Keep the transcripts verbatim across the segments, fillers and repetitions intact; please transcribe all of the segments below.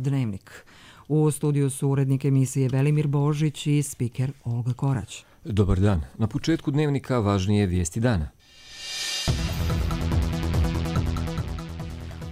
Dnevnik. U studiju su urednik emisije Velimir Božić i spiker Olga Korać. Dobar dan. Na početku Dnevnika važnije vijesti dana.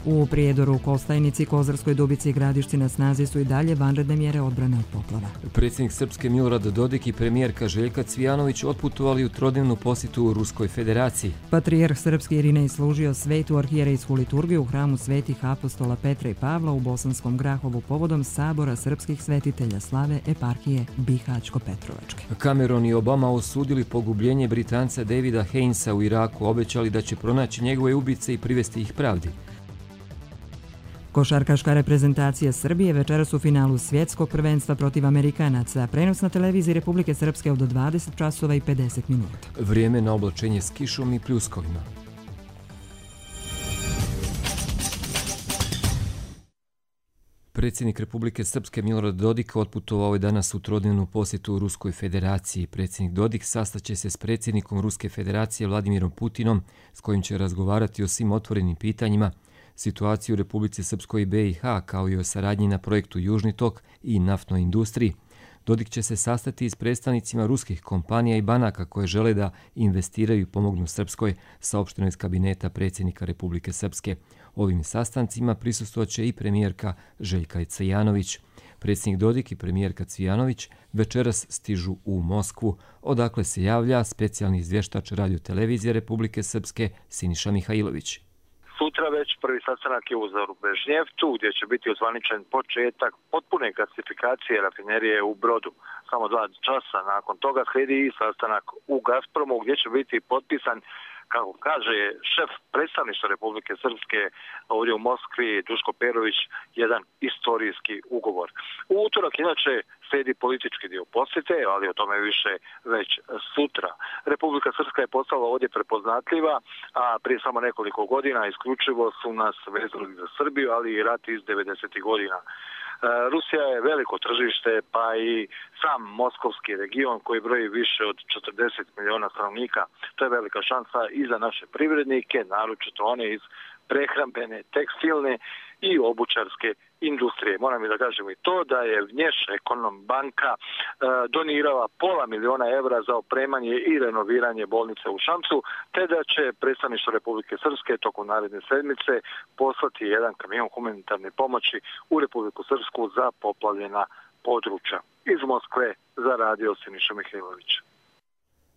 U Prijedoru, Kostajnici, Kozarskoj Dubici i Gradišci na snazi su i dalje vanredne mjere odbrane od poplava. Predsjednik Srpske Milorad Dodik i premijerka Željka Cvijanović otputovali u trodnevnu posjetu u Ruskoj federaciji. Patrijarh srpski Irinej služio svetu arhijerejsku liturgiju u hramu svetih apostola Petra i Pavla u Bosanskom Grahovu povodom sabora srpskih svetitelja slave eparhije Bihaćko-Petrovačke. Cameron i Obama osudili pogubljenje Britanca Davida Hainesa u Iraku, obećali da će pronaći njegove ubice i privesti ih pravdi. Košarkaška reprezentacija Srbije večeras u finalu svjetskog prvenstva protiv Amerikanaca. Prenos na televiziji Republike Srpske od dvadeset časova i pedeset minuta. Vrijeme na oblačenje s kišom i pljuskovima. Predsjednik Republike Srpske Milorad Dodik otputovao je danas u trodnevnu posjetu u Ruskoj federaciji. Predsjednik Dodik sastaće se s predsjednikom Ruske federacije Vladimirom Putinom, s kojim će razgovarati o svim otvorenim pitanjima, situaciju u Republici Srpskoj i be i ha, kao i o saradnji na projektu Južni tok i naftnoj industriji. Dodik će se sastati i s predstavnicima ruskih kompanija i banaka koje žele da investiraju i pomognu Srpskoj, saopšteno iz kabineta predsjednika Republike Srpske. Ovim sastancima prisustvovat i premijerka Željka Cvijanović. Predsjednik Dodik i premijerka Cvijanović večeras stižu u Moskvu, odakle se javlja specijalni izvještač radiotelevizije Republike Srpske Siniša Mihajlović. Sutra već prvi sastanak je u Zarubežnjevcu, gdje će biti ozvaničen početak potpune gasifikacije rafinerije u Brodu. Samo dva časa nakon toga slijedi i sastanak u Gazpromu, gdje će biti potpisan, kako kaže šef predstavništva Republike Srpske ovdje u Moskvi, Duško Perović, jedan istorijski ugovor. U utorak inače slijedi politički dio posjete, ali o tome više već sutra. Republika Srpska je postala ovdje prepoznatljiva, a prije samo nekoliko godina isključivo su nas vezali za Srbiju, ali i rat iz devedesetih godina. Rusija je veliko tržište, pa i sam moskovski region koji broji više od četrdeset milijuna stanovnika. To je velika šansa i za naše privrednike, naročito one iz prehrambene, tekstilne i obućarske industrije. Moram i da kažem i to da je Vnješ Ekonom banka e, donirala pola miliona evra za opremanje i renoviranje bolnice u Šamcu, te da će predstavništvo Republike Srpske tokom naredne sedmice poslati jedan kamion humanitarne pomoći u Republiku Srpsku za poplavljena područja. Iz Moskve za radio Siniša Mihajlović.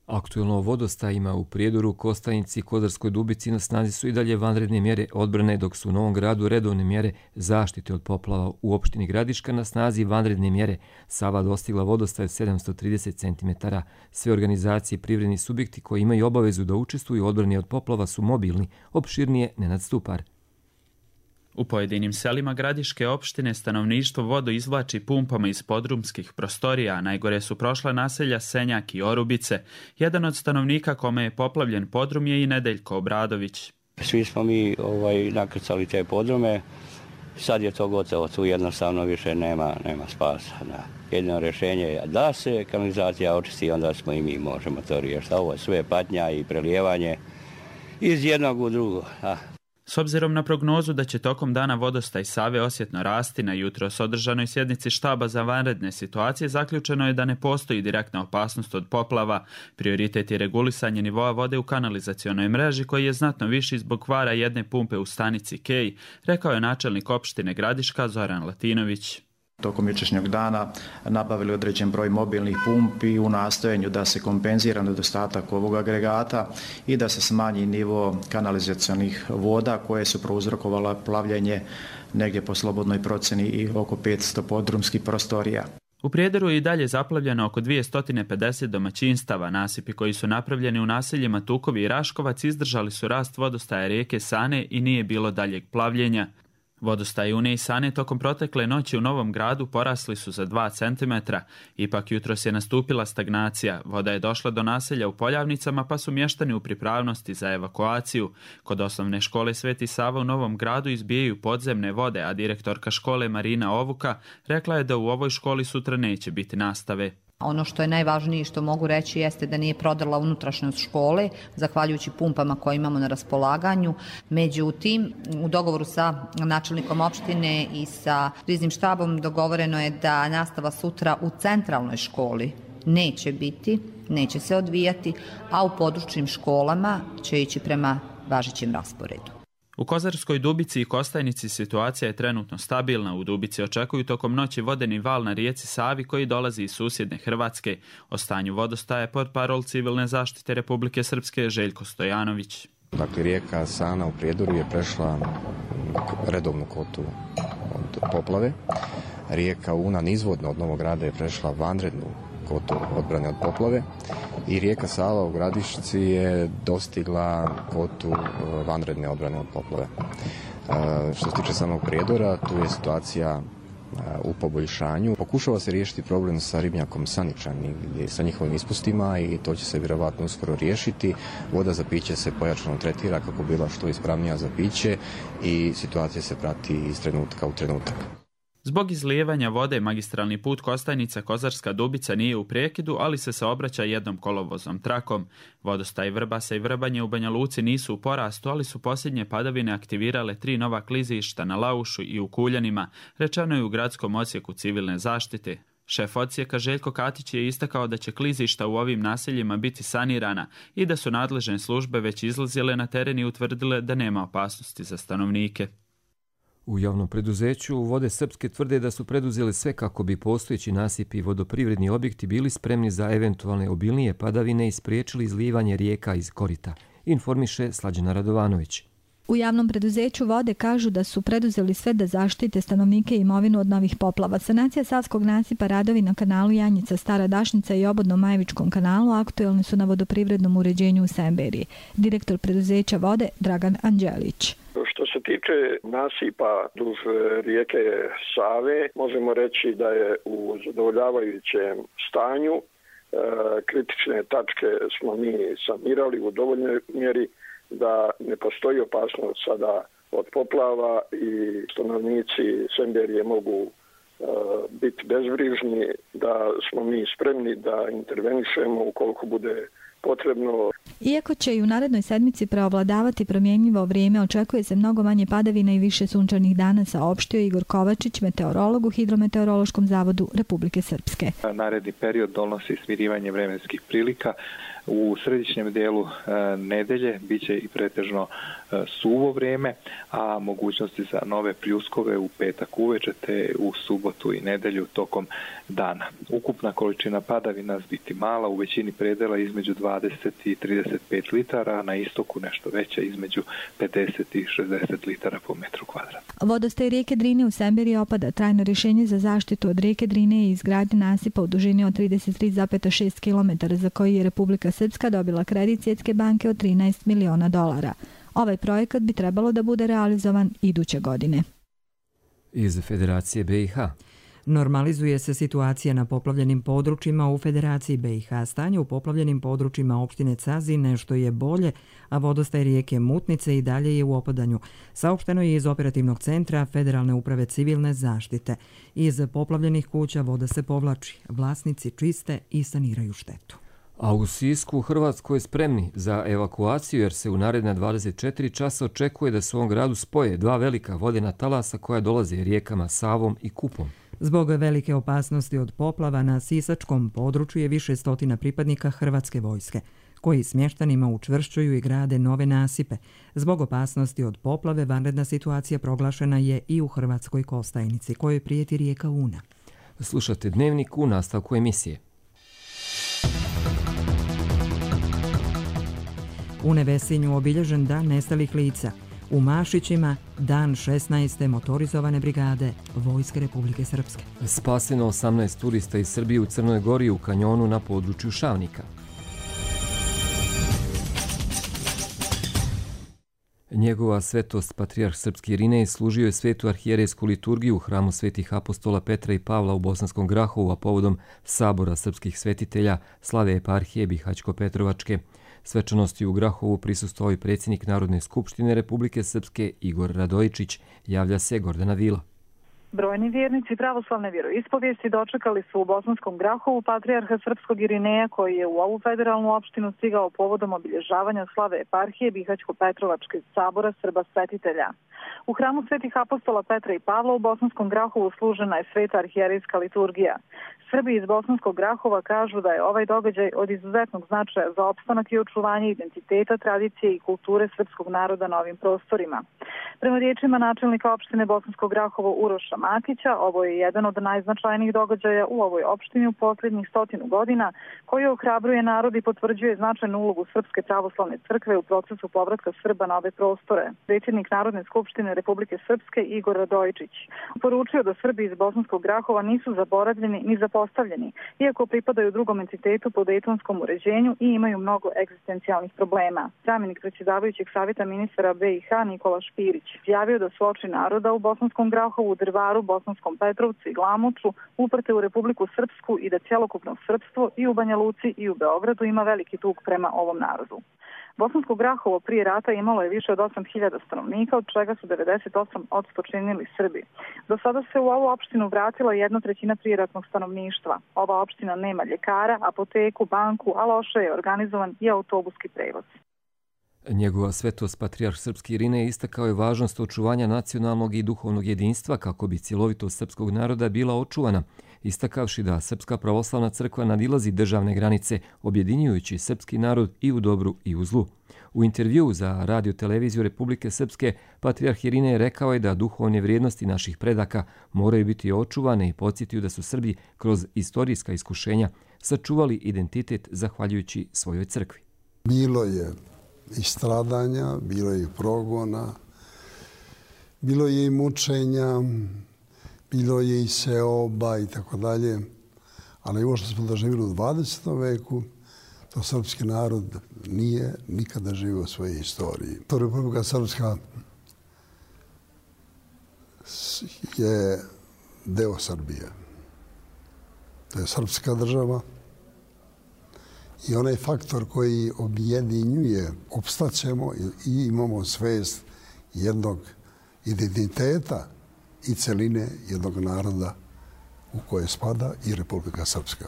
Aktuelno o vodostajima u Prijedoru, Kostajnici i Kozarskoj Dubici na snazi su i dalje vanredne mjere odbrane, dok su u Novom Gradu redovne mjere zaštite od poplava. U opštini Gradiška na snazi vanredne mjere. Sava dostigla vodostaj od sedamsto trideset centimetara. Sve organizacije i privredni subjekti koji imaju obavezu da učestvuju u odbrani od poplava su mobilni. Opširnije Nenad Stupar. U pojedinim selima Gradiške opštine stanovništvo vodu izvlači pumpama iz podrumskih prostorija, a najgore su prošla naselja Senjak i Orubice. Jedan od stanovnika kome je poplavljen podrum je i Nedeljko Obradović. Svi smo mi ovaj, nakrcali te podrume, sad je to gotovo, tu jednostavno više nema, nema spasa. Da. Jedino rješenje je da se kanalizacija očisti, onda smo i mi možemo to riješiti. Ovo je sve patnja i prelijevanje iz jednog u drugo. Da. S obzirom na prognozu da će tokom dana vodostaj Save osjetno rasti, na jutros održanoj sjednici štaba za vanredne situacije zaključeno je da ne postoji direktna opasnost od poplava. Prioritet je regulisanje nivoa vode u kanalizacionoj mreži koji je znatno viši zbog kvara jedne pumpe u stanici Kej, rekao je načelnik opštine Gradiška Zoran Latinović. Tokom jučerašnjeg dana nabavili određen broj mobilnih pumpi u nastojanju da se kompenzira nedostatak ovog agregata i da se smanji nivo kanalizacionih voda koje su prouzrokovala plavljenje negdje po slobodnoj procjeni i oko petsto podrumskih prostorija. U Prijedoru je i dalje zaplavljeno oko dvjesto pedeset domaćinstava. Nasipi koji su napravljeni u naseljima Tukovi i Raškovac izdržali su rast vodostaja rijeke Sane i nije bilo daljeg plavljenja. Vodostaji Une i Sane tokom protekle noći u Novom Gradu porasli su za dva centimetra. Ipak jutros je nastupila stagnacija. Voda je došla do naselja u Poljavnicama pa su mještani u pripravnosti za evakuaciju. Kod osnovne škole Sveti Sava u Novom Gradu izbijaju podzemne vode, a direktorka škole Marina Ovuka rekla je da u ovoj školi sutra neće biti nastave. Ono što je najvažnije što mogu reći jeste da nije prodrla unutrašnjost škole, zahvaljujući pumpama koje imamo na raspolaganju. Međutim, u dogovoru sa načelnikom opštine i sa kriznim štabom dogovoreno je da nastava sutra u centralnoj školi neće biti, neće se odvijati, a u područnim školama će ići prema važećem rasporedu. U Kozarskoj Dubici i Kostajnici situacija je trenutno stabilna. U Dubici očekuju tokom noći vodeni val na rijeci Savi koji dolazi iz susjedne Hrvatske. O stanju vodostaja portparol Civilne zaštite Republike Srpske Željko Stojanović. Dakle, rijeka Sana u Prijedoru je prešla redovnu kotu od poplave. Rijeka Una nizvodno od Novog Grada je prešla vanrednu kotu odbrane od poplave i rijeka Sava u Gradišci je dostigla kotu vanredne odbrane od poplave. Što se tiče samog Prijedora, tu je situacija u poboljšanju. Pokušava se riješiti problem sa ribnjakom Saničani, sa njihovim ispustima i to će se vjerovatno uskoro riješiti. Voda za piće se pojačano tretira kako bila što ispravnija za piće i situacija se prati iz trenutka u trenutak. Zbog izlijevanja vode magistralni put Kostajnica Kozarska Dubica nije u prekidu, ali se saobraća jednom kolovoznom trakom. Vodostaj Vrbasa i Vrbanje u Banja Luci nisu u porastu, ali su posljednje padavine aktivirale tri nova klizišta na Laušu i u Kuljanima, rečeno je u gradskom odsjeku Civilne zaštite. Šef odsjeka Željko Katić je istakao da će klizišta u ovim naseljima biti sanirana i da su nadležne službe već izlazile na teren i utvrdile da nema opasnosti za stanovnike. U javnom preduzeću Vode Srpske tvrde da su preduzeli sve kako bi postojeći nasipi i vodoprivredni objekti bili spremni za eventualne obilnije padavine i spriječili izlijevanje rijeka iz korita, informiše Slađana Radovanović. U javnom preduzeću Vode kažu da su preduzeli sve da zaštite stanovnike i imovinu od novih poplava. Sanacija Savskog nasipa, radovi na kanalu Janjica, Stara Dašnica i obodnom Majevičkom kanalu aktuelni su na vodoprivrednom uređenju u Semberiji. Direktor preduzeća Vode Dragan Anđelić. Što se tiče nasipa duž rijeke Save, možemo reći da je u zadovoljavajućem stanju. E, kritične tačke smo mi sanirali u dovoljnoj mjeri da ne postoji opasnost sada od poplava i stanovnici Semberije mogu e, biti bezbrižni, da smo mi spremni da intervenišemo ukoliko bude potrebno. Iako će i u narednoj sedmici preovladavati promjenjivo vrijeme, očekuje se mnogo manje padavina i više sunčanih dana, saopštio Igor Kovačić, meteorolog u Hidrometeorološkom zavodu Republike Srpske. Naredni period donosi smirivanje vremenskih prilika. U središnjem dijelu e, nedelje bit će i pretežno e, suvo vrijeme, a mogućnosti za nove pljuskove u petak uveče te u subotu i nedelju tokom dana. Ukupna količina padavina biti mala, u većini predela između dvadeset i trideset pet litara, a na istoku nešto veća između pedeset i šezdeset litara po metru kvadratnom. Vodostaj rijeke Drine u Semberiji opada. Trajno rješenje za zaštitu od rijeke Drine je izgradnja nasipa u dužini od trideset tri zarez šest kilometara za koji je Republika Srpska dobila kredit Svjetske banke od trinaest miliona dolara. Ovaj projekat bi trebalo da bude realizovan iduće godine. Iz Federacije B i H. Normalizuje se situacija na poplavljenim područjima u Federaciji B i H. Stanje u poplavljenim područjima opštine Cazi nešto je bolje, a vodostaj rijeke Mutnice i dalje je u opadanju. Saopšteno je iz operativnog centra Federalne uprave civilne zaštite. Iz poplavljenih kuća voda se povlači. Vlasnici čiste i saniraju štetu. A u Sisku u Hrvatskoj spremni za evakuaciju jer se u naredna dvadeset četiri časa očekuje da se u ovom gradu spoje dva velika vodena talasa koja dolaze rijekama Savom i Kupom. Zbog velike opasnosti od poplava na sisačkom području je više stotina pripadnika Hrvatske vojske, koji smještanima učvršćuju i grade nove nasipe. Zbog opasnosti od poplave vanredna situacija proglašena je i u Hrvatskoj Kostajnici, kojoj prijeti rijeka Una. Slušate Dnevnik u nastavku emisije. U Nevesinju obilježen dan nestalih lica. U Mašićima dan šesnaeste motorizovane brigade Vojske Republike Srpske. Spaseno osamnaest turista iz Srbije u Crnoj Gori u kanjonu na području Šavnika. Njegova svetost, patrijarh srpski Irinej, služio je svetu arhijerejsku liturgiju u hramu svetih apostola Petra i Pavla u Bosanskom Grahovu, a povodom sabora srpskih svetitelja slave eparhije Bihać-Petrovačke. Svečanosti u Grahovu prisustvovao i predsjednik Narodne skupštine Republike Srpske Igor Radojičić, javlja se Gordana Vila. Brojni vjernici pravoslavne vjeroispovijesti dočekali su u Bosanskom Grahovu patrijarha srpskog Irineja, koji je u ovu federalnu opštinu stigao povodom obilježavanja slave eparhije Bihaćko-Petrovačkog sabora Srba svetitelja. U hramu svetih apostola Petra i Pavla u Bosanskom Grahovu služena je sveta arhijerejska liturgija. Srbi iz Bosanskog Grahova kažu da je ovaj događaj od izuzetnog značaja za opstanak i očuvanje identiteta, tradicije i kulture srpskog naroda na ovim prostorima. Prema riječima načelnika opštine Bosanskog Grahova Uroša Matića, ovo je jedan od najznačajnijih događaja u ovoj opštini u posljednjih stotinu godina, koji ohrabruje narod i potvrđuje značajnu ulogu Srpske pravoslavne crkve u procesu povratka Srba na ove prostore. Predsjednik Narodne skupštine Republike Srpske Igor Radojičić poručio da Srbi iz Bosanskog Grahova nisu zaboravljeni ni zapostavljeni, iako pripadaju drugom entitetu po dejtonskom uređenju i imaju mnogo egzistencijalnih problema. Zamjenik predsjedavajućeg savjeta ministara B i H Nikola Špirić izjavio da su oči naroda u Bosanskom Grahovu, Drvaru, Bosanskom Petrovcu i Glamoču uprte u Republiku Srpsku i da cjelokupno srpstvo i u Banja Luci i u Beogradu ima veliki dug prema ovom narodu. Bosansko Grahovo prije rata imalo je više od osam hiljada stanovnika, od čega su devedeset osam posto činili Srbi. Do sada se u ovu opštinu vratila jedna trećina prijeratnog stanovništva. Ova opština nema ljekara, apoteku, banku, a loše je organizovan i autobuski prevoz. Njegova svetost patrijarh srpski Irinej istakao je važnost očuvanja nacionalnog i duhovnog jedinstva kako bi cjelovitost srpskog naroda bila očuvana, istakavši da Srpska pravoslavna crkva nadilazi državne granice, objedinjujući srpski narod i u dobru i u zlu. U intervjuu za Radio televiziju Republike Srpske, patrijarh Irinej rekao je da duhovne vrijednosti naših predaka moraju biti očuvane i podsjetio da su Srbi kroz istorijska iskušenja sačuvali identitet zahvaljujući svojoj crkvi. Bilo je i stradanja, bilo je i progona, bilo je i mučenja, bilo je i seoba i tako dalje. Ali ovo što smo doživjeli u dvadesetom veku, to srpski narod nije nikada živio u svojoj istoriji. To Republika Srpska je deo Srbije. To je srpska država. I onaj faktor koji objedinjuje, opstaćemo i imamo svest jednog identiteta i celine jednog naroda u koje spada i Republika Srpska.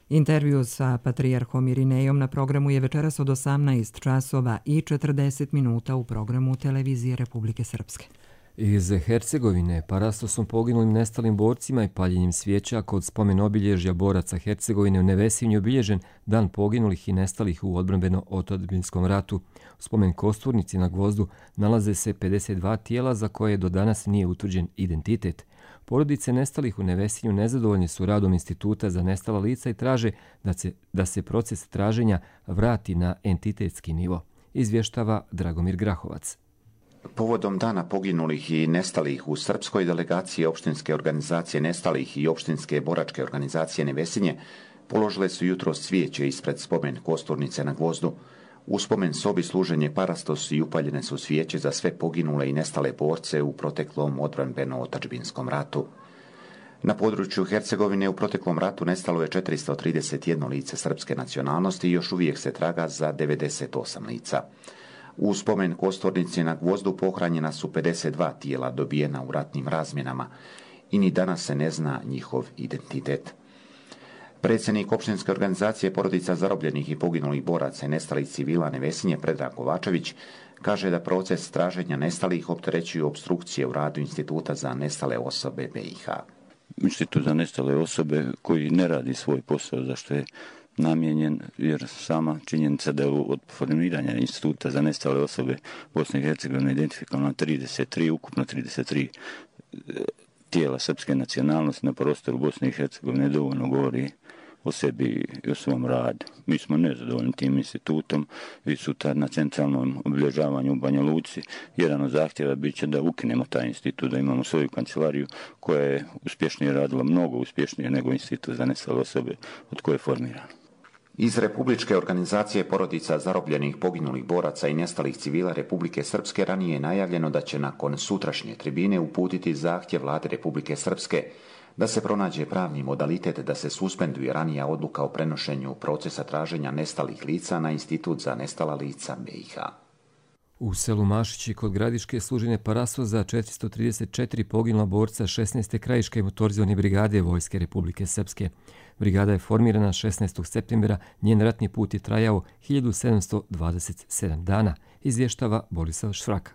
Intervju sa patrijarhom Irinejom na programu je večeras od osamnaest časova i četrdeset minuta u programu Televizije Republike Srpske. Iz Hercegovine parastosom poginulim nestalim borcima i paljenjem svijeća kod spomen obilježja boraca Hercegovine u Nevesinju obilježen dan poginulih i nestalih u odbrambeno-otadžbinskom ratu. U spomen kosturnici na Gvozdu nalaze se pedeset dva tijela za koje do danas nije utvrđen identitet. Porodice nestalih u Nevesinju nezadovoljni su radom Instituta za nestala lica i traže da se, da se proces traženja vrati na entitetski nivo, izvještava Dragomir Grahovac. Povodom dana poginulih i nestalih u srpskoj delegaciji opštinske organizacije nestalih i opštinske boračke organizacije Nevesinje položile su jutro cvijeće ispred spomen kosturnice na Gvozdu. U spomen sobi služen je parastos i upaljene su svijeće za sve poginule i nestale borce u proteklom odbrambeno-otadžbinskom ratu. Na području Hercegovine u proteklom ratu nestalo je četiristo trideset jedno lice srpske nacionalnosti i još uvijek se traga za devedeset osam lica. U spomen kosturnici na Gvozdu pohranjena su pedeset dva tijela dobijena u ratnim razmjenama i ni danas se ne zna njihov identitet. Predsjednik opštinske organizacije porodica zarobljenih i poginulih boraca i nestalih civila Nevesinje Predrag Kovačević kaže da proces traženja nestalih opterećuju opstrukcije u radu Instituta za nestale osobe B i H. Institut za nestale osobe koji ne radi svoj posao za što je namijenjen, jer sama činjenica da je od formiranja Instituta za nestale osobe Bosne i Hercegovine identifikovano trideset tri, ukupno trideset tri tijela srpske nacionalnosti na prostoru Bosne i Hercegovine dovoljno govori o sebi i o svom radu. Mi smo nezadovoljni tim institutom i sutra na centralnom obilježavanju u Banja Luci jedan od zahtjeva bit će da ukinemo taj institut, da imamo svoju kancelariju koja je uspješnije radila, mnogo uspješnije nego Institut za nestale osobe od koje je formirano. Iz Republičke organizacije porodica zarobljenih, poginulih boraca i nestalih civila Republike Srpske ranije je najavljeno da će nakon sutrašnje tribine uputiti zahtjev Vlade Republike Srpske da se pronađe pravni modalitet da se suspenduje ranija odluka o prenošenju procesa traženja nestalih lica na Institut za nestala lica B i H. U selu Mašići kod Gradiške služine Paraso za četiristo trideset četiri poginula borca šesnaeste krajiške motorizovane brigade Vojske Republike Srpske. Brigada je formirana šesnaestog septembra, njen ratni put je trajao hiljadu sedamsto dvadeset sedam dana, izvještava Borislav Šfraka.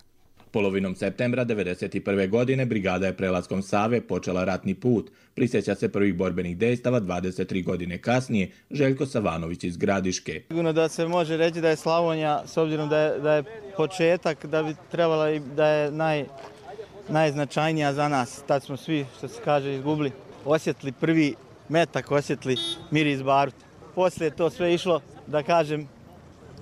Polovinom septembra devedeset prve. godine brigada je prelaskom Save počela ratni put. Prisjeća se prvih borbenih dejstava dvadeset tri godine kasnije Željko Savanović iz Gradiške. Sigurno da se može reći da je Slavonija, s obzirom da je, da je početak, da bi trebala i da je naj, najznačajnija za nas. Tad smo svi, što se kaže, izgubili. Osjetili prvi metak, osjetili miris baruta. Poslije je to sve išlo, da kažem,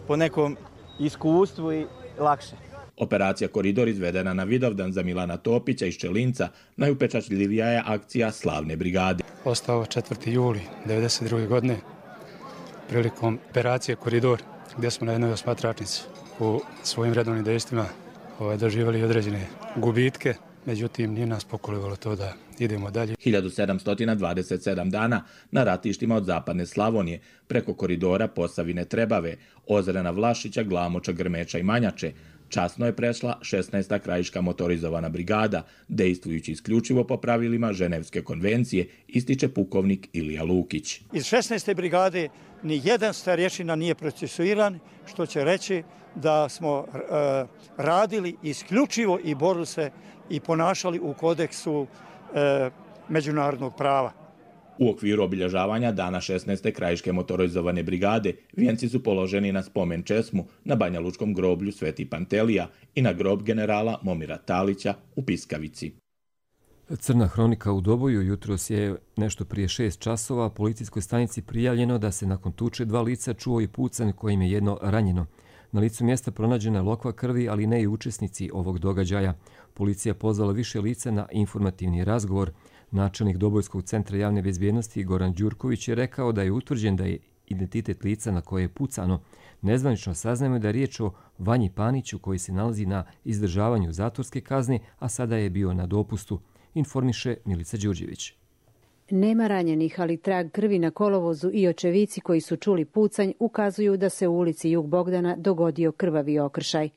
po nekom iskustvu i lakše. Operacija Koridor izvedena na Vidovdan za Milana Topića iz Čelinca najupečatljivija je akcija Slavne brigade. Ostao četvrti juli devedeset druge. godine prilikom operacije Koridor, gdje smo na jednoj osmatračnici u svojim redovnim dejstvima ovaj, doživjeli određene gubitke, međutim nije nas pokolivalo to da idemo dalje. hiljadu sedamsto dvadeset sedam dana na ratištima od zapadne Slavonije, preko koridora Posavine Trebave, Ozrena Vlašića, Glamoča, Grmeča i Manjače, časno je prešla šesnaesta krajiška motorizovana brigada, dejstvujući isključivo po pravilima Ženevske konvencije, ističe pukovnik Ilija Lukić. Iz šesnaeste brigade ni jedan starješina nije procesuiran, što će reći da smo e, radili isključivo i borili se i ponašali u kodeksu e, međunarodnog prava. U okviru obilježavanja dana šesnaeste krajiške motorizovane brigade vijenci su položeni na spomen česmu na Banjalučkom groblju Sveti Pantelija i na grob generala Momira Talića u Piskavici. Crna hronika u Doboju jutros je nešto prije šest časova policijskoj stanici prijavljeno da se nakon tuče dva lica čuo i pucanj kojim je jedno ranjeno. Na licu mjesta pronađena je lokva krvi, ali ne i učesnici ovog događaja. Policija pozvala više lica na informativni razgovor. Načelnik Dobojskog centra javne bezbjednosti Goran Đurković je rekao da je utvrđen da je identitet lica na koje je pucano. Nezvanično saznajemo da je riječ o Vanji Paniću koji se nalazi na izdržavanju zatvorske kazne, a sada je bio na dopustu, informiše Milica Đurđević. Nema ranjenih, ali trag krvi na kolovozu i očevici koji su čuli pucanj ukazuju da se u ulici Jug Bogdana dogodio krvavi okršaj.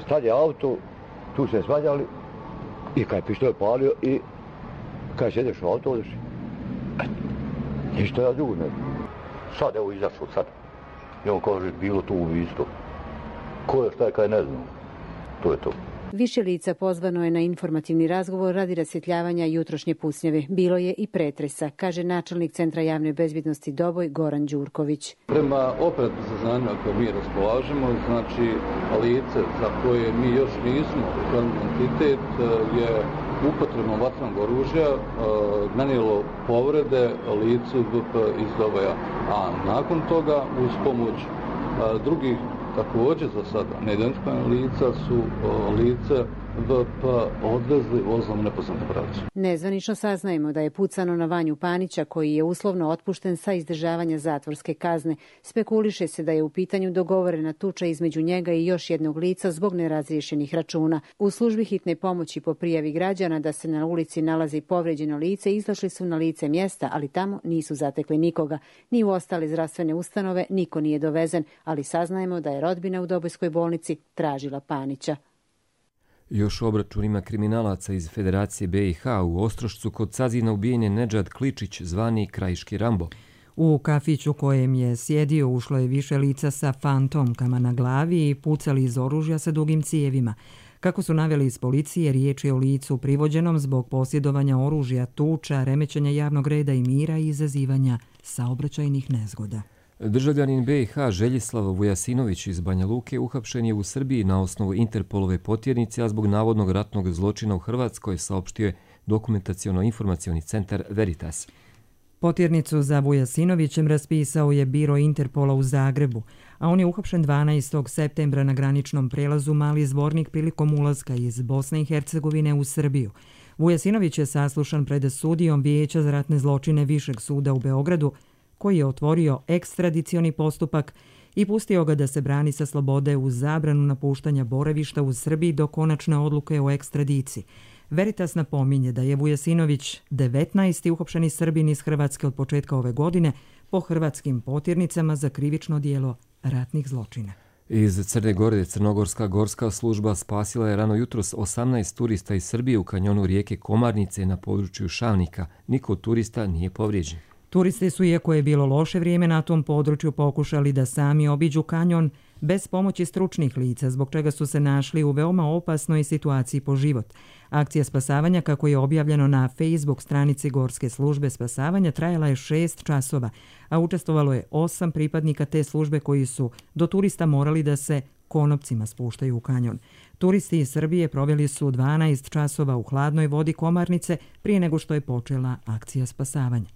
Sad je auto, tu se svađali i kad je pištolj palio i kad sjedeš u auto, odeš. Ništa ja drugo ne. Sad evo izašao sad. I on kaže, bilo tu isto. Ko je šta je kaj ne znam. To je to. Više lica pozvano je na informativni razgovor radi rasvjetljavanja jutrošnje pucnjave. Bilo je i pretresa, kaže načelnik Centra javne bezbjednosti Doboj Goran Đurković. Prema operativnim saznanjima koje mi raspolažemo, znači lice za koje mi još nismo utvrdili identitet je upotrebom vatrenog oružja nanijelo povrede licu V P iz Doboja. A nakon toga uz pomoć drugih također za sada neidentifikovana lica su lice V P odvezli vozom nepoznate pravce. Nezvanično saznajemo da je pucano na Vanju Panića koji je uslovno otpušten sa izdržavanja zatvorske kazne. Spekuliše se da je u pitanju dogovorena tuča između njega i još jednog lica zbog nerazriješenih računa. U službi hitne pomoći po prijavi građana da se na ulici nalazi povređeno lice izašli su na lice mjesta, ali tamo nisu zatekli nikoga. Ni u ostale zdravstvene ustanove niko nije dovezen, ali saznajemo da je rodbina u Dobojskoj bolnici tražila Panića. Još obračunima kriminalaca iz Federacije B i H u Ostrošcu kod Cazina ubijen je Nedžad Kličić, zvani Krajiški Rambo. U kafiću kojem je sjedio ušlo je više lica sa fantomkama na glavi i pucali iz oružja sa dugim cijevima. Kako su naveli iz policije, riječ je o licu privođenom zbog posjedovanja oružja, tuča, remećenja javnog reda i mira i izazivanja saobraćajnih nezgoda. Državljanin B i H Željislav Vujasinović iz Banja Luke uhapšen je u Srbiji na osnovu Interpolove potjernice, a zbog navodnog ratnog zločina u Hrvatskoj saopštio je dokumentaciono-informacioni centar Veritas. Potjernicu za Vujasinovićem raspisao je biro Interpola u Zagrebu, a on je uhapšen dvanaestog septembra na graničnom prelazu Mali Zvornik prilikom ulaska iz Bosne i Hercegovine u Srbiju. Vujasinović je saslušan pred sudijom Vijeća za ratne zločine Višeg suda u Beogradu, koji je otvorio ekstradicioni postupak i pustio ga da se brani sa slobode uz zabranu napuštanja boravišta u Srbiji do konačne odluke o ekstradiciji. Veritas napominje da je Vujasinović devetnaesti uhapšeni Srbin iz Hrvatske od početka ove godine po hrvatskim potjernicama za krivično djelo ratnih zločina. Iz Crne Gore Crnogorska gorska služba spasila je rano jutros osamnaest turista iz Srbije u kanjonu rijeke Komarnice na području Šavnika. Niko od turista nije povrijeđen. Turisti su, iako je bilo loše vrijeme na tom području, pokušali da sami obiđu kanjon bez pomoći stručnih lica, zbog čega su se našli u veoma opasnoj situaciji po život. Akcija spasavanja, kako je objavljeno na Facebook stranici Gorske službe spasavanja, trajala je šest časova, a učestvovalo je osam pripadnika te službe koji su do turista morali da se konopcima spuštaju u kanjon. Turisti iz Srbije proveli su dvanaest časova u hladnoj vodi Komarnice prije nego što je počela akcija spasavanja.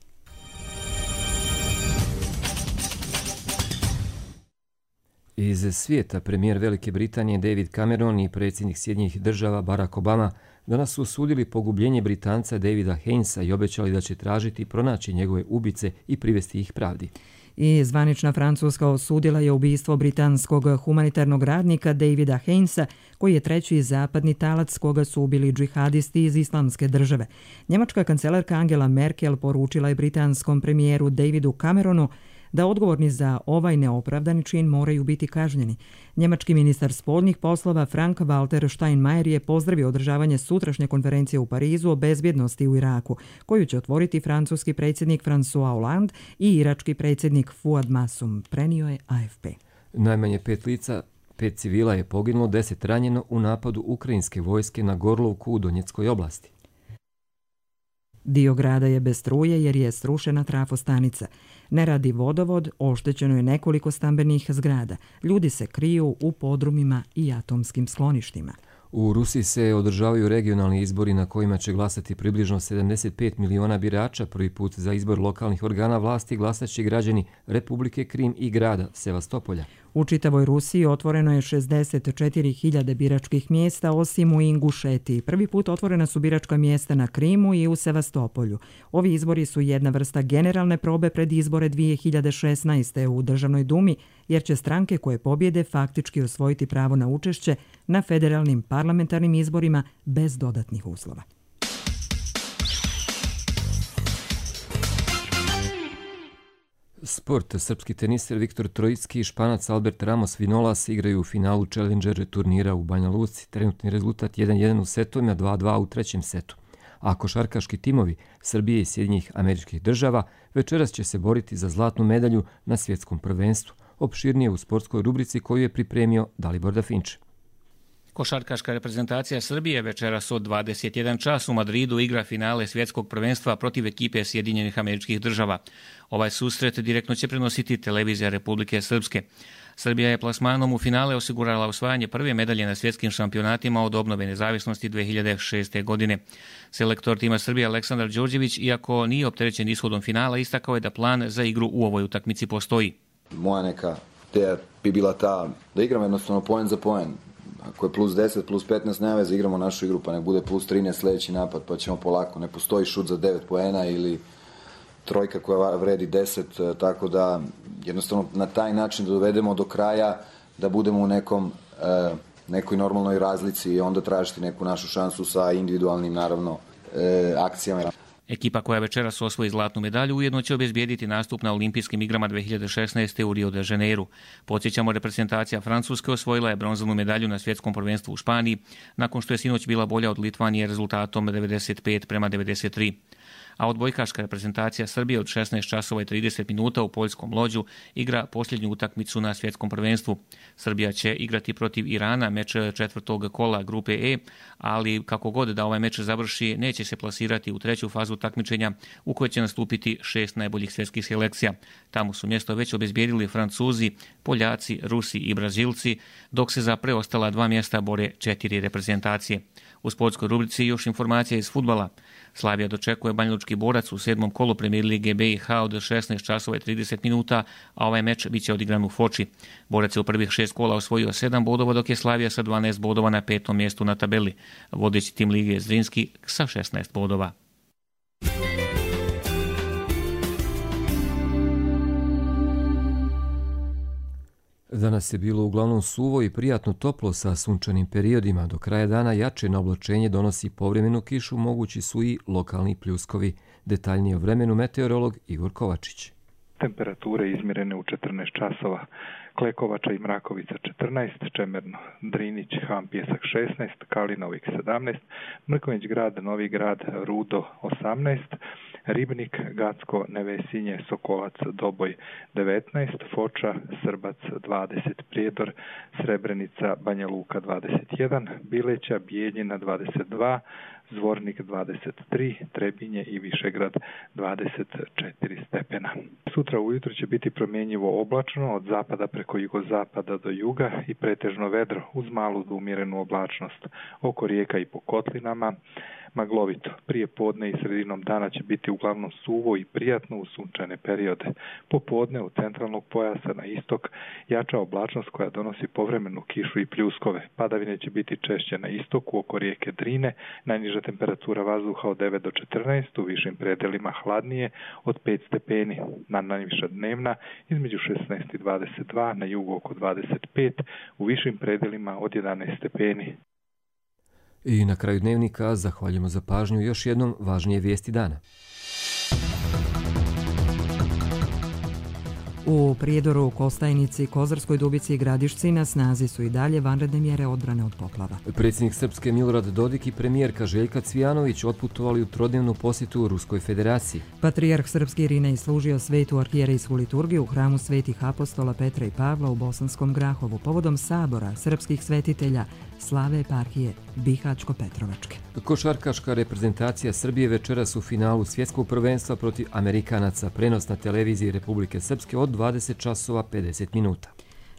Iz svijeta premijer Velike Britanije David Cameron i predsjednik Sjedinjenih država Barack Obama danas su osudili pogubljenje Britanca Davida Hainesa i obećali da će tražiti pronaći njegove ubice i privesti ih pravdi. I zvanična Francuska osudila je ubistvo britanskog humanitarnog radnika Davida Hainesa, koji je treći zapadni talac koga su ubili džihadisti iz Islamske države. Njemačka kancelarka Angela Merkel poručila je britanskom premijeru Davidu Cameronu da odgovorni za ovaj neopravdani čin moraju biti kažnjeni. Njemački ministar spoljnih poslova Frank-Walter Steinmeier je pozdravio održavanje sutrašnje konferencije u Parizu o bezbjednosti u Iraku, koju će otvoriti francuski predsjednik François Hollande i irački predsjednik Fouad Masum, prenio je A F P. Najmanje pet lica, pet civila je poginulo, deset ranjeno u napadu ukrajinske vojske na Gorlovku u Donjeckoj oblasti. Dio grada je bez struje jer je srušena trafostanica. Ne radi vodovod, oštećeno je nekoliko stambenih zgrada. Ljudi se kriju u podrumima i atomskim skloništima. U Rusiji se održavaju regionalni izbori na kojima će glasati približno sedamdeset pet miliona birača. Prvi put za izbor lokalnih organa vlasti glasat će građani Republike Krim i grada Sevastopolja. U čitavoj Rusiji otvoreno je šezdeset četiri hiljade biračkih mjesta, osim u Ingušetiji. Prvi put otvorena su biračka mjesta na Krimu i u Sevastopolju. Ovi izbori su jedna vrsta generalne probe pred izbore dvije hiljade šesnaeste. u Državnoj dumi, jer će stranke koje pobjede faktički osvojiti pravo na učešće na federalnim parlamentarnim izborima bez dodatnih uslova. Sport. Srpski teniser Viktor Trojicki i Španac Albert Ramos Vinolas igraju u finalu Challenger turnira u Banja Luci. Trenutni rezultat jedan jedan u setovima, dva dva u trećem setu. A košarkaški timovi Srbije i Sjedinjenih Američkih Država večeras će se boriti za zlatnu medalju na svjetskom prvenstvu. Opširnije u sportskoj rubrici koju je pripremio Dalibor Dafinče. Košarkaška reprezentacija Srbije večeras od dvadeset jedan čas u Madridu igra finale svjetskog prvenstva protiv ekipe Sjedinjenih Američkih Država. Ovaj susret direktno će prenositi televizija Republike Srpske. Srbija je plasmanom u finale osigurala osvajanje prve medalje na svjetskim šampionatima od obnove nezavisnosti dvije hiljade šeste. godine. Selektor tima Srbije Aleksandar Đorđević, iako nije opterećen ishodom finala, istakao je da plan za igru u ovoj utakmici postoji. Moja neka ideja bi bila ta da igram jednostavno poen za poen. Ako je plus deset, plus petnaest, nema veze, igramo našu igru, pa nek bude plus trinaest sljedeći napad, pa ćemo polako. Ne postoji šut za devet poena ili trojka koja vredi deset, tako da jednostavno na taj način da dovedemo do kraja, da budemo u nekom, nekoj normalnoj razlici i onda tražiti neku našu šansu sa individualnim, naravno, akcijama. Ekipa koja večeras osvoji zlatnu medalju ujedno će obezbijediti nastup na olimpijskim igrama dvije hiljade šesnaeste. u Rio de Janeiru. Podsjećamo, reprezentacija Francuske osvojila je bronzanu medalju na svjetskom prvenstvu u Španiji, nakon što je sinoć bila bolja od Litvanije rezultatom devedeset pet prema devedeset tri. A odbojkaška reprezentacija Srbije od šesnaest časova i trideset minuta u poljskom Lođu igra posljednju utakmicu na svjetskom prvenstvu. Srbija će igrati protiv Irana, meč četvrtog kola grupe E, ali kako god da ovaj meč završi, neće se plasirati u treću fazu takmičenja u kojoj će nastupiti šest najboljih svjetskih selekcija. Tamo su mjesto već obezbijedili Francuzi, Poljaci, Rusi i Brazilci, dok se za preostala dva mjesta bore četiri reprezentacije. U sportskoj rubrici još informacija iz fudbala. Slavija dočekuje banjalučki Borac u sedmom kolu Premier Lige B i H od šesnaest časova i trideset minuta, a ovaj meč biće odigran u Foči. Borac je u prvih šest kola osvojio sedam bodova, dok je Slavija sa dvanaest bodova na petom mjestu na tabeli. Vodeći tim lige je Zrinski sa šesnaest bodova. Danas je bilo uglavnom suvo i prijatno toplo sa sunčanim periodima. Do kraja dana jače na oblačenje donosi povremenu kišu, mogući su i lokalni pljuskovi. Detaljnije o vremenu meteorolog Igor Kovačić. temperature izmjerene u četrnaest časova. Klekovača i Mrakovica četrnaest, Čemerno, Drinić, Ham, Pjesak šesnaest, Kalinovik sedamnaest, Mrkonjić grad, Novi grad, Rudo osamnaest, Ribnik, Gacko, Nevesinje, Sokolac, Doboj devetnaest, Foča, Srbac dvadeset, Prijedor, Srebrenica, Banja Luka dvadeset jedan, Bileća, Bijeljina dvadeset dva, Zvornik dvadeset tri, Trebinje i Višegrad dvadeset četiri stepena. Sutra ujutro će biti promjenjivo oblačno od zapada preko jugozapada do juga i pretežno vedro uz malu do umjerenu oblačnost. Oko rijeka i po kotlinama maglovito. Prije podne i sredinom dana će biti uglavnom suvo i prijatno u sunčane periode. Popodne u centralnog pojasa na istok jača oblačnost koja donosi povremenu kišu i pljuskove. Padavine će biti češće na istoku oko rijeke Drine, najniža temperatura vazduha od devet do četrnaest, u višim predelima hladnije od pet stepeni. Na najviša dnevna između šesnaest i dvadeset dva, na jugu oko dvadeset pet, u višim predelima od jedanaest stepeni. I na kraju dnevnika zahvaljujemo za pažnju još jednom važnije vijesti dana. U Prijedoru, Kostajnici, Kozarskoj Dubici i Gradišci na snazi su i dalje vanredne mjere odbrane od poplava. Predsjednik Srpske Milorad Dodik i premijerka Željka Cvijanović otputovali u trodnevnu posjetu u Ruskoj federaciji. Patrijarh Srpski Irinej služio svetu arhijerejsku liturgiju u hramu svetih apostola Petra i Pavla u Bosanskom Grahovu povodom sabora srpskih svetitelja slave eparhije Bihaćko-Petrovačke. Košarkaška reprezentacija Srbije večeras u finalu svjetskog prvenstva protiv Amerikanaca, prenos na televiziji Republike Srpske od dvadeset časova pedeset minuta.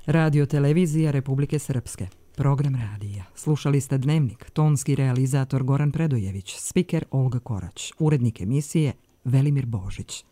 Radio televizija Republike Srpske. Program radija. Slušali ste Dnevnik, tonski realizator Goran Predojević, spiker Olga Korać, urednik emisije Velimir Božić.